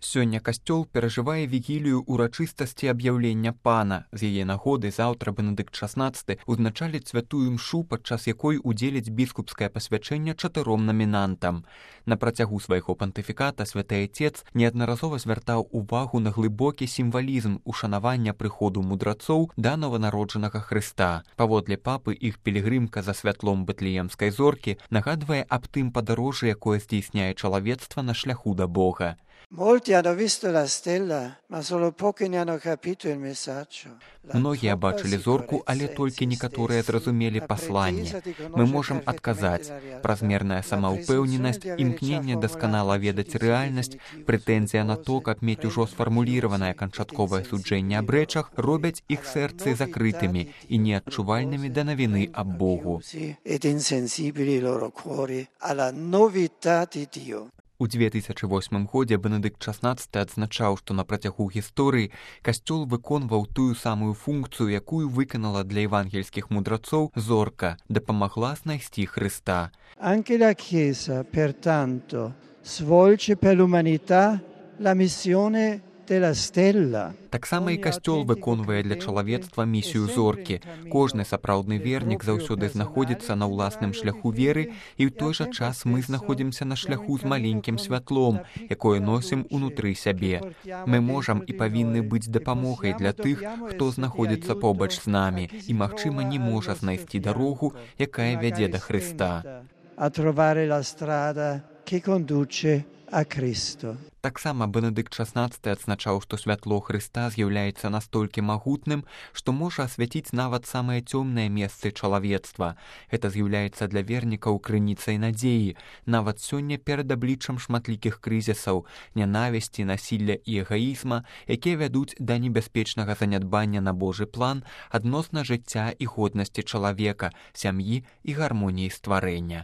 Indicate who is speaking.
Speaker 1: Сёння касцёл перажывае вігілію урачыстасці аб'яўлення пана. З яе нагоды заўтра Бенедыкт XVI узначаліць святую імшу, падчас якой удзеліць біскупскае пасвячэнне 4 намінантам. На працягу свайго пантыфіката святы Отец неаднаразова звяртаў увагу на глыбокі сімвалізм ушанавання прыходу мудрацоў да нованароджанага Хрыста. Паводле папы, іх пілігрымка за святлом бэтлеемскай зоркі нагадвае аб тым падарожжы, якое здзейсняе чалавецтва на шляху да Бога. Многія бачылі зорку, але толькі некаторыя зразумелі пасланне. Мы можам адказаць: празмерная самаўпэўненасць, імкненне дасканала ведаць рэальнасць, прэтэнзія на то, каб мець ужо сфармуліраванае канчатковае суджэнне аб рэчах, робяць іх сэрцы закрытымі і неадчувальнымі да навіны аб Богу. У 2008 годзе Бенедыкт XVI адзначаў, што на працягу гісторыі касцёл выконваў тую самую функцыю, якую выканала для евангельскіх мудрацоў зорка, дапамагла знайсці Хрыста.
Speaker 2: Anche la Chiesa, pertanto, svolge per l'umanità la missione della stella.
Speaker 1: Таксама і касцёл выконвае для чалавецтва місію зоркі. Кожны сапраўдны вернік заўсёды знаходзіцца на ўласным шляху веры, і ў той жа час мы знаходзімся на шляху з маленькім святлом, якое носім унутры сябе. Мы можам і павінны быць дапамогай для тых, хто знаходзіцца побач з намі і, магчыма, не можа знайсці дарогу, якая вядзе да Хрыста.
Speaker 2: A trovare la strada che conduce a Cristo.
Speaker 1: Таксама Бенедыкт XVI адзначаў, што святло Хрыста з'яўляецца настолькі магутным, што можа асвяціць нават самыя цёмныя месцы чалавецтва. Гэта з'яўляецца для вернікаў крыніцай надзеі. Нават сёння перад абліччам шматлікіх крызісаў, нянавісці, насілля і эгаізма, якія вядуць да небяспечнага занядбання на Божы план адносна жыцця і годнасці чалавека, сям'і і гармоніі стварэння.